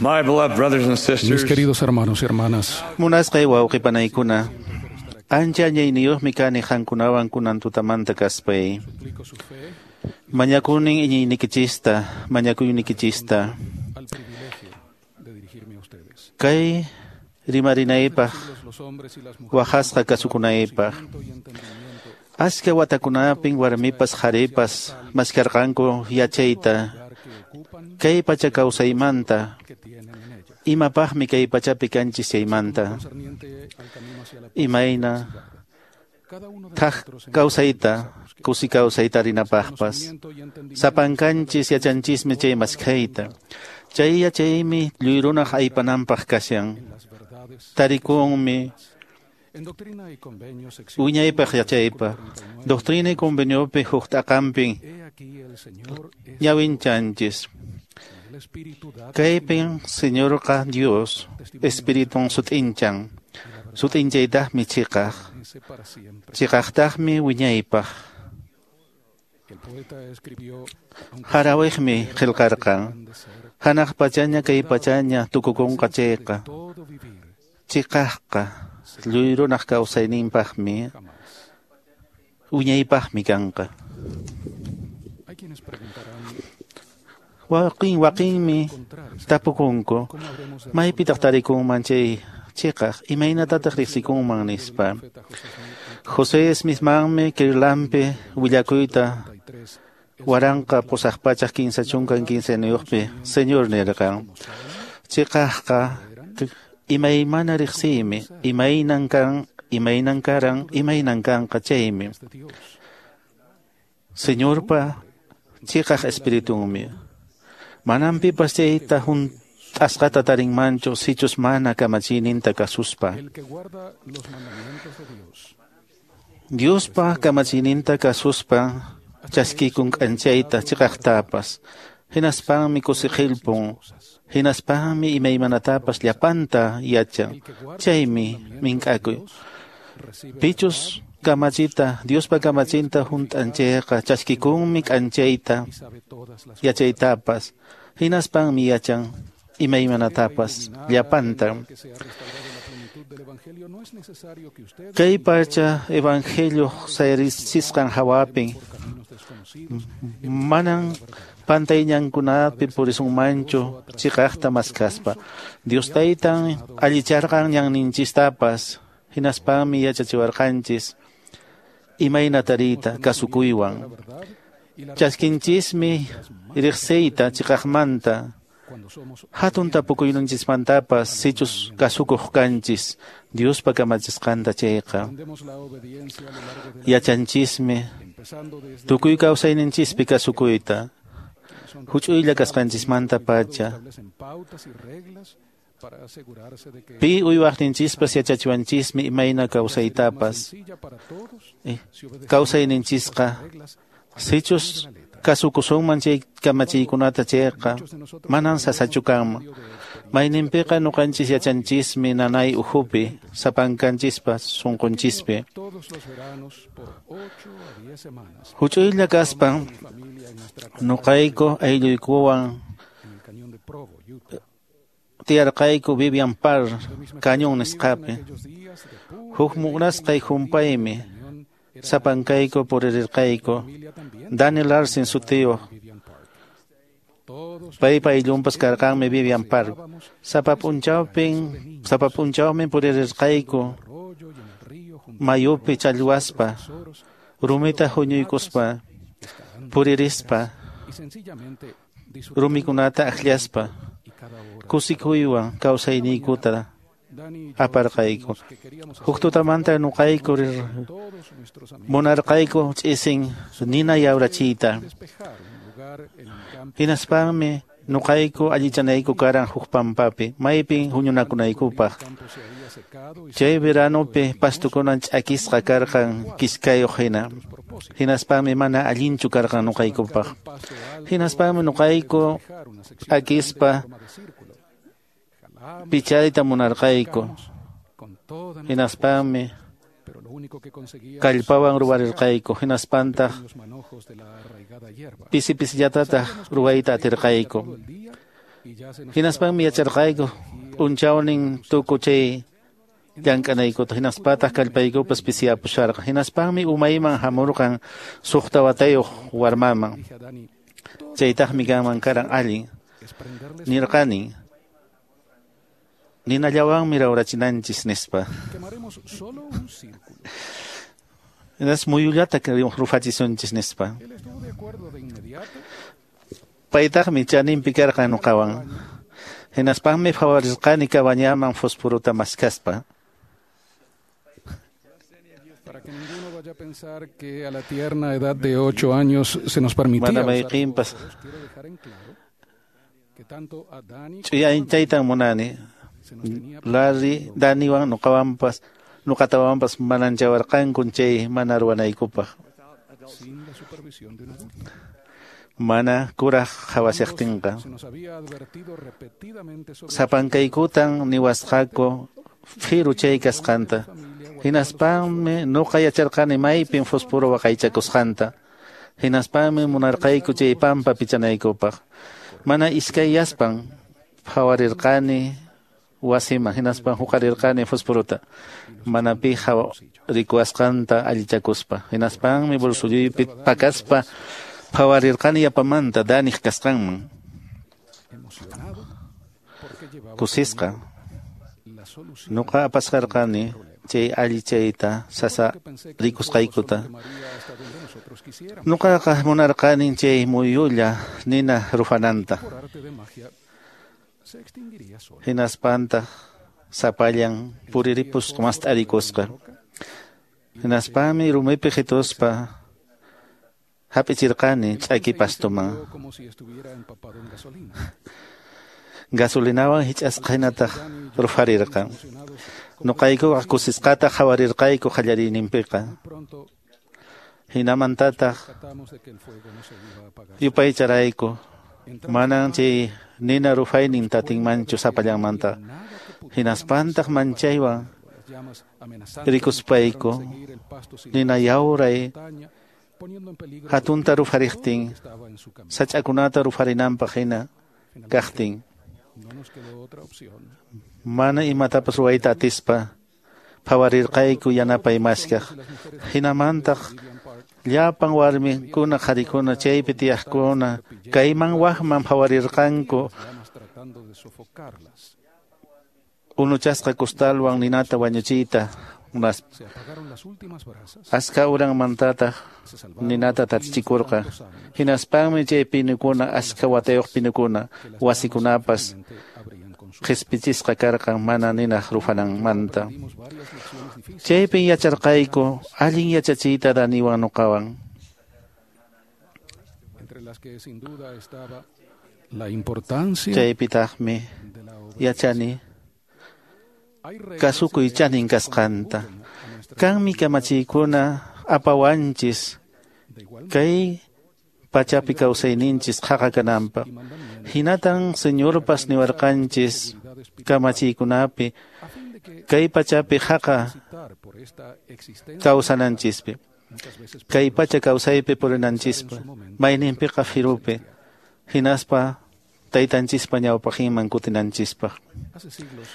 My beloved brothers and Mis sisters, queridos hermanos y hermanas, Munasqay wawqipanaykuna, ancha añayniyuqmi kani qankunawan kunan tutamanta kaspay. suplico su fe Mañakunin iñiynikichista, mañakuynikichista. al privilegio de dirigirme a ustedes. Kay rimarinaypaq, Los hombres y las mujeres waqasqa kasukunaypaq. y entendimiento Achka watakunapin warmipas qharipas maskarqanku yachayta lugar que ocupan kay pacha kawsaymanta, que tienen en ella. imapaqmi kay pachapi kanchis chaymanta, Concerniente al camino hacia la paz, imayna cada uno de thaq nosotros en kawsayta, kusi kawsayta rinapaqpas. conocimiento y entendimiento Sapankanchis yachanchismi chay maskhayta. Chay yachaymi lluyrunaq aypananpaq kashan. en las verdades. Tarikunmi En Doctrina y Convenios, sección wiñaypaq yachaypaq. Doctrina y conveniopi huk t'aqanpin He aquí el Señor es ñawinchanchis. el Espíritu da Kaypin Señorqa Dios Espiritun sut'inchan. Sut'inchaytaqmi chiqaq. permanece para siempre. Chiqaqtaqmi wiñaypaq. El poeta escribió, aunque Harawiqmi qillqarqan. han de ser Hanaq pachaña kay pachaña tukukunqa chayqa. todo vivir Chiqaqqa lluyrunaq kawsayninpaqmi jamás. wiñaypaqmi kanqa. Hay quienes preguntarán, Waqin waqinmi encontrar esa tapukunku. ¿Cómo habremos de Maypitaq tarikunman chay chiqaq, imaynatataq riqsikunman nispa. profeta José Smith José Smithmanmi Kirlanpi willakuyta 33 1835 Señor nirqan. Chiqaqqa imaymana riqsiymi, imaynan kan, imaynan karan, imaynan kanqa chaymi. de Dios? Señorpa chiqaq espiritunmi. Manan pipas chayta hunt'asqata tarinmanchu sichus mana kamachiyninta kasuspa. El que guarda los mandamientos de Dios Diospa kamachiyninta kasuspa chaskikun k'anchayta chiqaqtapas. Hinaspanmi kusiqilpun. Hinaspanmi imaymanatapas llapanta yachan. El que guarda los Chaymi mandamientos de mink'akuy. Dios recibe la Pichus kamachita, Diospa kamachinta hunt'anchayqa chaskikunmi k'anchayta y sabe todas las yachaytapas. Hinaspanmi yachan imaymanatapas cosas. llapanta. Que se ha restaurado la plenitud del Evangelio, no es necesario que ustedes Kay pacha evangelio sayarisqan hawapin por caminos desconocidos manan pantayñankunapi purisunmanchu chiqaqta maskaspa. Dios taytan allicharqan ñanninchistapas hinaspanmi yachachiwarqanchis imayna tariyta kasukuywan. la verdad y la Chaskinchismi riqsiyta chiqaqmanta cuando somos hatun tapukuyninchismantapas sichus kasukuq kanchis Diospa kamachisqanta chayqa. aprendemos la obediencia a lo largo de la Yachanchismi empezando desde tukuy kawsayninchispi kasukuyta. son Huch'uylla kasqanchismanta pacha. establecen pautas y reglas para asegurarse de que Pi uywaqninchispas yachachiwanchismi imayna será más kawsaytapas. sencilla para todos si obedecemos Kawsayninchisqa las reglas sichus kasukusunman chay kamachiykunata chayqa Muchos de nosotros manan sasachu kanman. medio de experiencia Mayninpiqa ñuqanchis yachanchismi nanay uhupi sapankanchispas sunqunchispi. todos los veranos por 8 a 10 semanas Huch'uylla kaspan mi familia en nuestra ñuqayku aylluykuwan en el cañón de Provo, Utah. tiyarqayku Vivian Parr De mis mejores cañón amigos en nisqapi. aquellos días de pura Huk alegría munasqay y humpaymi cañón era sapankayku purirqayku. familia también Daniel Larsen sutiyuq Vivian Park. Todos paypa ayllunpas karqanmi Vivian Park. paseábamos Sapa p'unchawpin, sapa p'unchawmi purirqayku arroyo y en el río junto mayupi challwaspa, a tesoros, rumita huñuykuspa, escalando puririspa, y sencillamente disfrutando rumikunata akllaspa, y cada hora. kusikuywan kawsayniykuta Dani y yo aparqayku. decidimos que queríamos hacer Huk tutamanta ñuqayku rir- todos nuestros amigos munarqayku ch'isin nina yawrachiyta. despejar un lugar en un campo Hinaspanmi ñuqayku allichanayku karan huk pampapi, maypin huñunakunaykupaq. campo se había secado y Chay veranopi pastukunan ch'akisqa karqan kiskayuq hina. propósito. Hinaspanmi mana allinchu karqan ñuqaykupaq. Pasto alto Hinaspanmi ñuqayku despejar una sección ch'akispa en forma de círculo. Jalamos pichayta munarqayku. con toda nuestra Hinaspanmi pero lo único que conseguíamos kallpawan ruwarirqayku. Hinaspantaq pequeños manojos de la arraigada hierba. pisi pisillatataq ruwayta atirqayku. Todo el día Hinaspanmi yacharqayku p'unchawnin tuku chay llank'anaykuta, hinaspataq kallpaykupas pisiyapusharqan. Hinaspanmi umayman hamurqan suqta watayuq warmaman. Chaytaqmi kanman karan allin. Nirqani, ninallawanmi rawrachinanchis nispa. Hinas muyullata rufachisunchis nispa. Paytaqmi chaninpi karqan nuqawan. Hinaspanmi phawarisqani cabañaman fosforota maskaspa. Para que ninguno vaya a pensar que a la tierna edad de 8 años se nos permitía Mana usar mayqinpas fósforos, quiero dejar en claro que tanto a Dani ch'uyanchaytan munani. se nos tenía Larry, Daniwan nuqawanpas nuqatawanpas mananchawarqanku chay mana ruwanaykupaq. sin la supervisión de un adulto. Mana kuraq qhawashaqtinqa. Se nos había advertido repetidamente sobre Sapankaykutan niwasqaku firu chay kasqanta. Hinaspanmi nuqa yacharqani maypin fósforo waqaychakusqanta. Hinaspanmi munarqayku chay pampa pichanaykupaq. Mana iskayyaspan phawarirqani wasiman, hinaspan huqarirqani fósforota. Mana pi rikuwasqanta allichakuspa. Hinaspanmi bolsilluypi pakaspa phawarirqani yapamanta Daniq kasqanman. emocionado porque llevaba Kusisqa. la solución. Nuqa apasqarqani chay allichayta sasa Que pensé que el fuego solo rikusqaykuta. quemaría hasta donde nosotros quisiéramos. Nuqaqa munarqani chay muyulla nina rufananta. Por arte de magia se extinguiría solo. Hinaspantaq sapallan puriripusqa mast'arikusqa. Hinaspanmi rumipi qituspa hap'ichirqani ch'aki Se pastuman. incendió como si estuviera empapado en gasolina. Gasolinawan hich'asqa hinataq rufarirqan. Emocionados, Nuqaykuqa kusisqata qhawarirqayku qallariyninpiqa. muy pronto Hinamantataq tratamos de que el fuego no se iba a apagar. yupaycharayku. Entramos Manan chay nina rufaynin tatinmanchu sapallanmanta. nada que pudiéramos Hinaspantaq manchaywan las llamas amenazantes rikuspayku nos seguir el pasto sin nina yawray montaña, poniendo en peligro hatunta todo lo rufariqtin que estaba en su camino. sach'akunata rufarinanpaq hina Finalmente, kaqtin. no nos quedó otra opción. Mana imatapas ruwayta atispa phawarirqayku yanapay maskaq. Hinamantaq Vivian Park llapan warmikuna qharikuna chaypi tiyaqkuna kayman wakman phawarirqanku las llamas tratando de sofocarlas. unuchasqa kustalwan ninata wañuchiyta munaspa. Se apagaron las últimas brasas. Aska uranmantataq Se salvaron ninata los pinos de tatichikurqa. tantos años Hinaspanmi chay pinukuna aska watayuq pinukuna que las llamas wasikunapas finalmente habrían consumido. qhispichisqa karqan mana ninaq rufananmanta. Aprendimos varias lecciones difíciles. Chaypin yacharqayku allin yachachiyta Daniwan nuqawan. entre las que sin duda estaba la importancia Chaypitaqmi de la obra. yachani Hay reglas kasukuy y leyes chanin que kasqanta. contribuyen a nuestra Kanmi kamachiykuna apawanchis de igual kay pachapi kawsayninchis qhaqa kananpaq. y mandamientos Hinatan Señorpas niwarqanchis seguridad espiritual kamachiykunapi a fin de que kay pachapi haqa transitar por esta existencia kawsananchispi. muchas veces Kay pacha kawsaypi purinanchispa, mayninpiqa firupi, hinaspa taytanchispa ñawpaqinman kutinanchispaq. hace siglos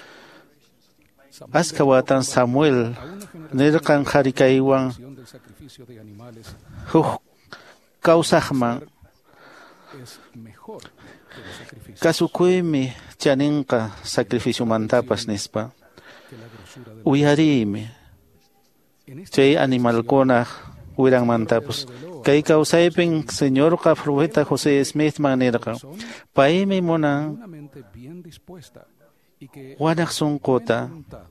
Samuel Aska watan Samuel a una generación nirqan qhari kaywan del sacrificio de animales huk kawsaqman es mejor que los sacrificios kasukuymi chaninqa sacrificiomantapas nispa. que la grosura de Uyariymi en esta chay animalkunaq wiranmantapas. Kay kawsaypin Señorqa profeta José Smithman nirqan, paymi munan una mente bien dispuesta y que wanaq sunquta buena voluntad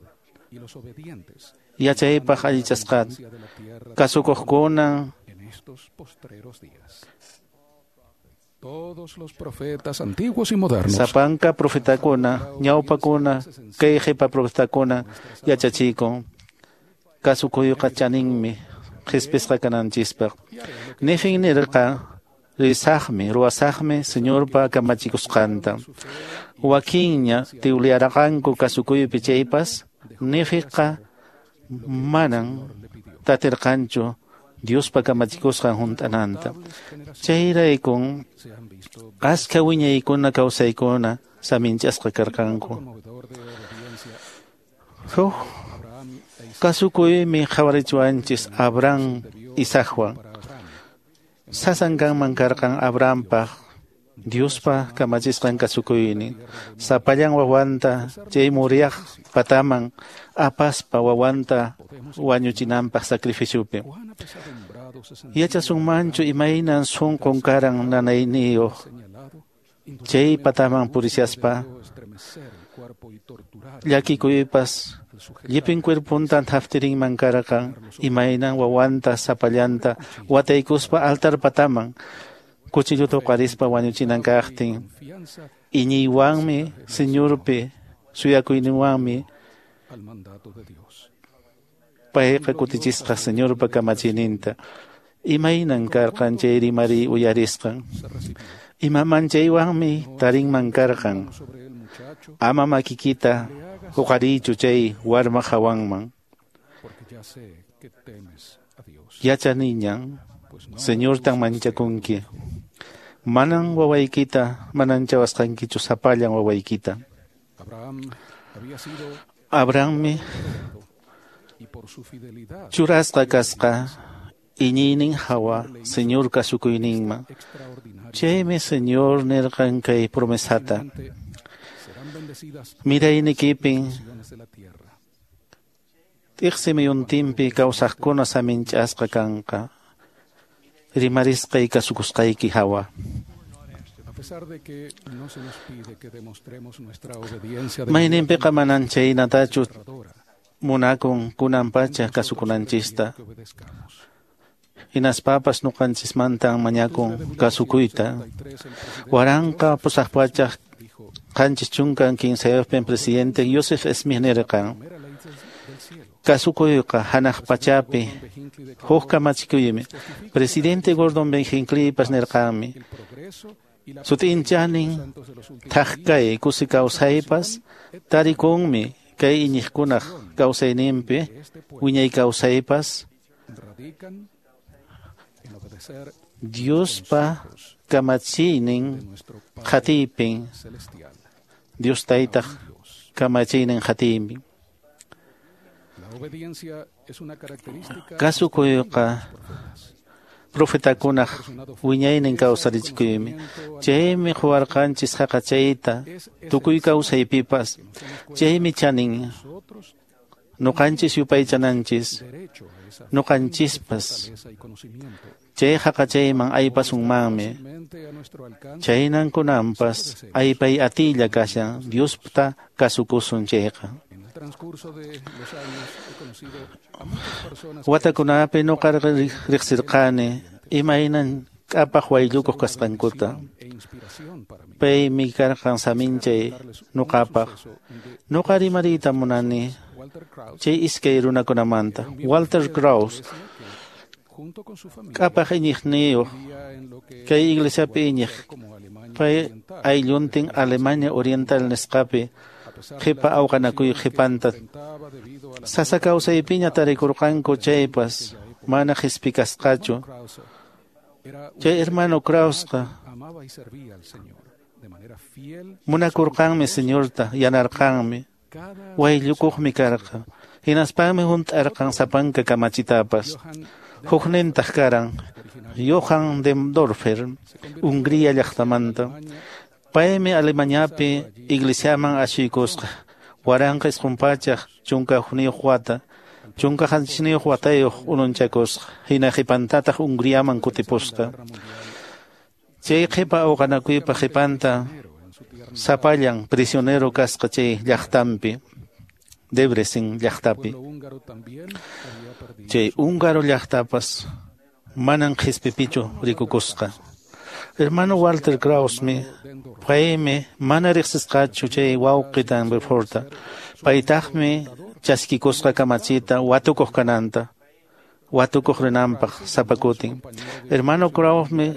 y los obedientes yachaypaq allichasqata hacia de la tierra kasukuqkuna en estos postreros días. Todos los profetas antiguos y modernos sapanka profetakuna ñawpakuna kay qhipa profetakuna yachachikun kasukuyqa chaninmi qhispisqa kananchispaq. Nifin nirqa risaqmi ruwasaqmi Señorpa kamachikusqanta. Wakinña tiwliyarqanku kasukuypi chaypas Nifiqa manan tatirqanchu Diospa kamachikusqan hunt'ananta. Chayraykun se han visto aska wiñaykuna kawsaykuna saminchasqa karqanku. Huk kasukuymi qhawarichiwanchis Abraham Isaacwan. Sasan kanman karqan Abrahampaq Diospa kamachisqan kasukuynin, sapallan wawanta chay Moriah pataman apaspa wawanta wañuchinanpaq sacrificiopi. Yachasunmanchu imaynan sunqun karan nanayniyuq chay pataman purishaspa, llakikuypas llipin cuerpuntan thaftirinman karqan imaynan wawanta sapallanta wataykuspa altar pataman cuchilluta uqarispa wañuchinan kaqtin. Iñiywanmi Señorpi suyakuyninwanmi payqa kutichisqa Señorpa kamachiyninta. Imaynan karqan chay rimariy uyarisqan. Ima manchaywanmi tarinman karqan. Ama makikita huqariychu chay warma hawanman. Yachaniñan Señortan manchakunki. Manan wawaykita mananchawasqankichu sapallan wawaykita. Abrahammi churasqa kasqa iñiynin hawa Señor kasukuyninman. Chaymi Señor nirqan kay promesata. Miraynikipin t'iqsi muyuntinpi kawsaqkuna saminch'asqa kanqa. Rimarisqay kasukusqayki hawa. Mayninpiqa manan chaynatachu munakun kunan pacha kasukunanchista. Hinaspapas ñuqanchismantan mañakun kasukuyta. 1873 presidente Joseph Smith nirqan: kasukuyqa hanaq pachapi huk kamachikuymi. Presidente Gordon B. Hinckleypas nirqanmi: sut'inchanin thak kay kusi kawsaypas tarikunmi kay iñiqkunaq kawsayninpi wiñay kawsaypas Diospa kamachiynin qhatiypin, Dios taytaq kamachiynin qhatiypin. Kasukuyqa profetakunaq wiñaynin kawsarichikuymi. Chaymi quwarqanchis haqachayta tukuy kawsaypipas. Chaymi chanin ñuqanchis yupaychananchis ñuqanchispas chay haqachayman aypasunmanmi. Chaynan kunanpas aypay atiylla kashan Diosta kasukusun chayqa. Watakunapi ñuqa riqsirqani imaynan k'apaq wayllukuq kasqankuta. Paymi karqan saminchay ñuqapaq. Ñuqa rimariyta munani chay iskay runakunamanta. Walter Krause k'apaq iñiqniyuq kay iglesiapi iñiq, pay aylluntin Alemania Oriental nisqapi qhipa awqanakuy qhipanta sasa kawsaypiña tarikurqanku chaypas mana qhispikasqachu. Chay hermano Krausqa munakurqanmi Señorta, yanarqanmi, wayllukuqmi karqa. Hinaspanmi hunt'arqan sapanka kamachitapas. Huknintaq karan Johann Dendorfer, Hungría llaqtamanta. Paymi Alemaniapi iglesiaman ashuykusqa 1911 wata, 17 watayuq ununchakusqa, hina qhipantataq Hungriaman kutipusqa. Chay qhipa awqanakuypa qhipanta sapallan prisionero kasqa chay llaqtanpi, Debrecen llaqtapi. Chay húngaro llaqtapas manan qhispipichu rikukusqa. Hermano Walter Krausmi paymi mana riqsisqachu chay wawqi Danforta. Paytaqmi chaskikusqa kamachita watukuq kananta, watukuq rinanpaq sapakutin. Hermano Krausmi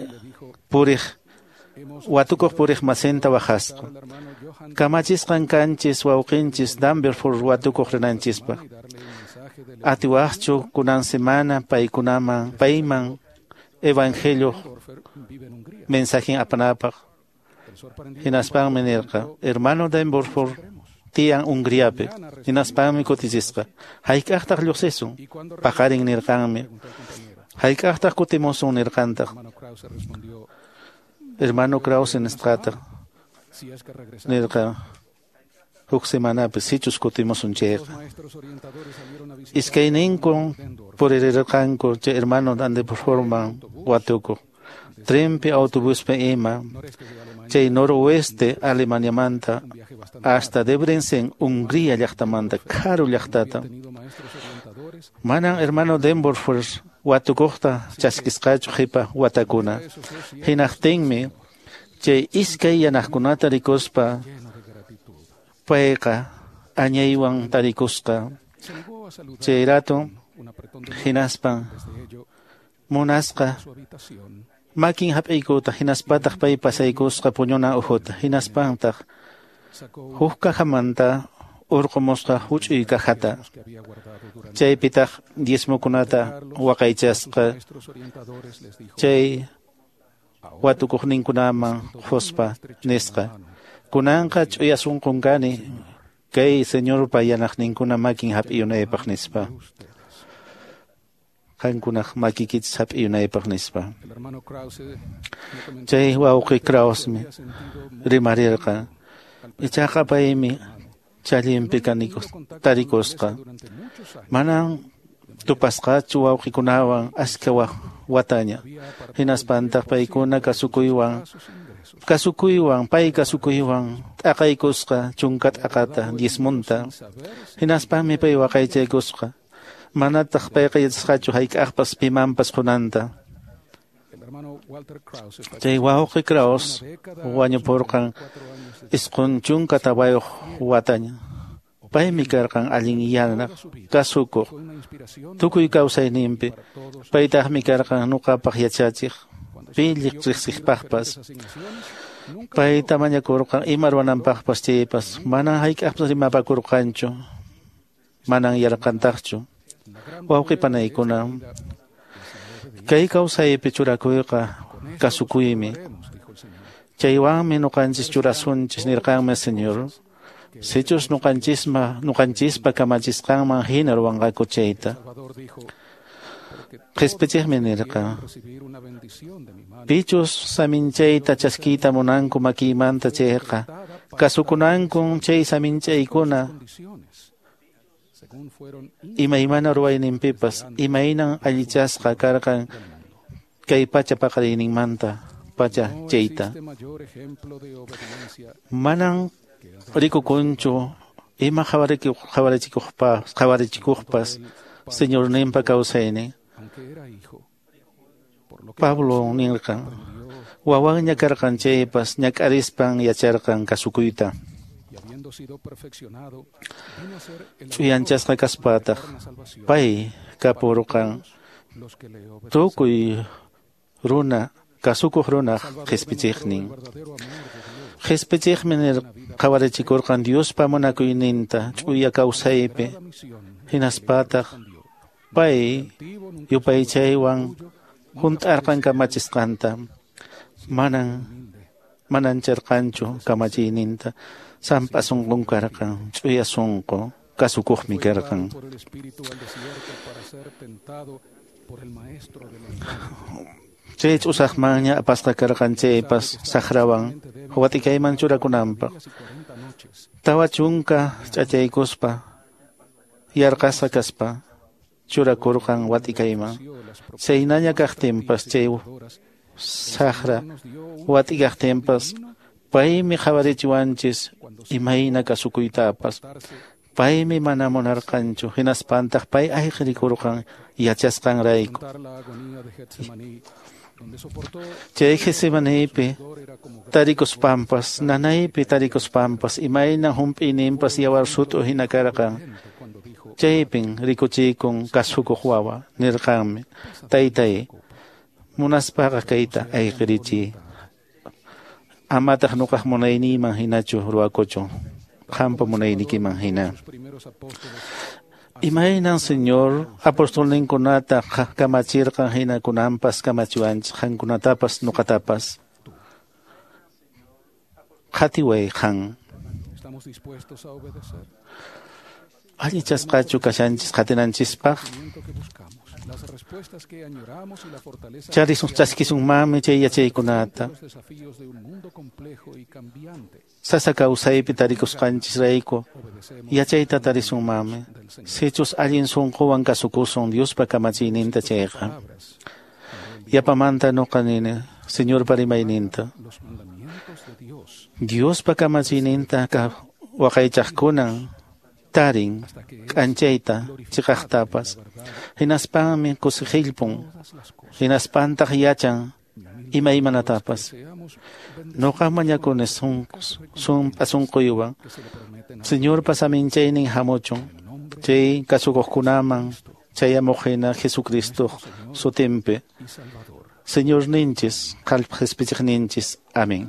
puriq watukuq puriq masinta waqasqa. Kamachisqan kanchis wawqinchis Danforth watukuq rinanchispaq. Atiwaqchu kunan semana payman evangelio mensajen apanapaq. Hinaspanmi nirqa, hermano Denborfor tiyan Hungriapi. Hinaspanmi kutichisqa, hayk'aqtaq lluqsisun? Paqarin nirqanmi. Hayk'aqtaq kutimusun nirqantaq. Hermano Krause nisqataq nirqa, huk semanapi sichus kutimusun chayqa. Iskayninkun puririrqanku chay hermano Denborforman watukuq. Trenpi, autobuspi ima, chay noroeste Alemaniamanta hasta Debrecen, Hungría llaqtamanta, karu llaqtata. Manan hermano Denborfor watukuqta chaskisqachu qhipa watakuna. Hinaqtinmi chay iskay yanaqkunata rikuspa payqa añaywan tarikusqa. Chay rato hinaspa munasqa makin hap'iykuta, hinaspataq pay pasaykusqa puñuna uhuta, hinaspantaq huk kajamanta urqumusqa huch'uy kajata, chaypitaq diezmokunata waqaychasqa chay watukuqninkunaman quspa nisqa, kunanqa ch'uya sunqun kani kay Señorpa yanaqninkuna makin hap'iyunaypaq nispa. Qankunaq makikichis hap'iyunaypaq nispa. Chay wawqi Krausmi rimarirqa, ichaqa paymi challinpi tarikusqa. Manan tupasqachu wawqikunawan askha wataña. Hinaspantaq paykuna kasukuywan pay kasukuywan t'aqaykusqa chunka t'aqata diezmunta. Hinaspanmi pay waqaychaykusqa. Manataq payqa yachasqachu hayk'aqpas pimanpas qunanta. Chay wawqi Kraus wañupurqan 94 wataña. Paymi karqan allin yanaq, kasukuq, tukuy kawsayninpi. Paytaqmi karqan nuqapaq yachachiq, pilliq riqsiqpaqpas. Payta mañakurqan ima ruwananpaqpas chaypas, manan hayk'aqpas rimapakurqanchu, manan yarqantaqchu. Wawqi panaykuna, kay kawsaypi churakuyqa kasukuymi. Chaywanmi nuqanchis churasunchis nirqanmi Señor. Sichus nuqanchispa kamachisqanman hina ruwanqaku chayta. Qhispichiqmi nirqa, pichus saminchayta chaskiyta munanku makiymanta chayqa, kasukunankun chay saminchaykuna imaymana ruwayninpipas, imaynan allichasqa karqan kay pacha paqariyninmanta pacha chayta. Manan rikukunchu ima qhawarichikuqpas Señorninpa kawsaynin. Pablo nirqan, wawanña karqan chaypas ñak'arispan yacharqan kasukuyta. Ch'uyanchasqa kaspataq pay kapurqan tukuy runa kasukuq runaq qhispichiqnin. Qhispichiqmi qhawarichikurqan Diospa munakuyninta ch'uya kawsaypi, hinaspataq pay yupaychaywan hunt'arqan kamachisqanta. Manan charqanchu kamachiyninta. Sampa sunqun karqan, ch'uya sunqu, kasukuqmi karqan. Chay ch'usaqmanña apasqa karqan chaypas saqrawan watikayman churakunanpaq. 40 ch'achaykuspa yarqasqa kaspa churakurqan watikayman. Chaynaña kaqtinpas chay saqra watikaqtinpas paymi qhawarichiwanchis imayna kasukuytapas. Paymi mana munarqanchu, hinaspantaq pay ayqirikurqan yachasqanrayku. Chay Getsemanípi tarikuspanpas, nanaypi tarikuspanpas, imayna hump'iyninpas yawar sut'u hina karqan. Chaypin rikuchikun kasukuq wawa, nirqanmi, taytay, munaspaqa kayta ayqirichiy. Amataq nuqaq munayniyman hinachu ruwakuchun, qampa munaynikiman hina. Imaynan Señor apostolninkunata kamachirqan hina kunanpas kamachiwanchis, qankunatapas nuqatapas. Qhatiway qan. Allichasqachu kashanchis qatinanchispaq? Charisun chaskisunmanmi chay yachaykunata. Sasa kawsaypi tarikusqanchisrayku yachayta tarisunmanmi. Sichus allin sunquwan kasukusun Diospa kamachiyninta chayqa. Yapamanta nuqa nini Señorpa rimayninta. Diospa kamachiyninta waqaychaqkunan tarin k'anchayta chiqaqtapas. Hinaspanmi kusiqillpun, hinaspantaq yachan imaymanatapas. Nuqa mañakuni sunpa sunquywan Señorpa saminchaynin hamuchun chay kasukuqkunaman chayamuq hina Jesucristo sutinpi. Señorninchis, qallpa qhispichiqninchis. Amén.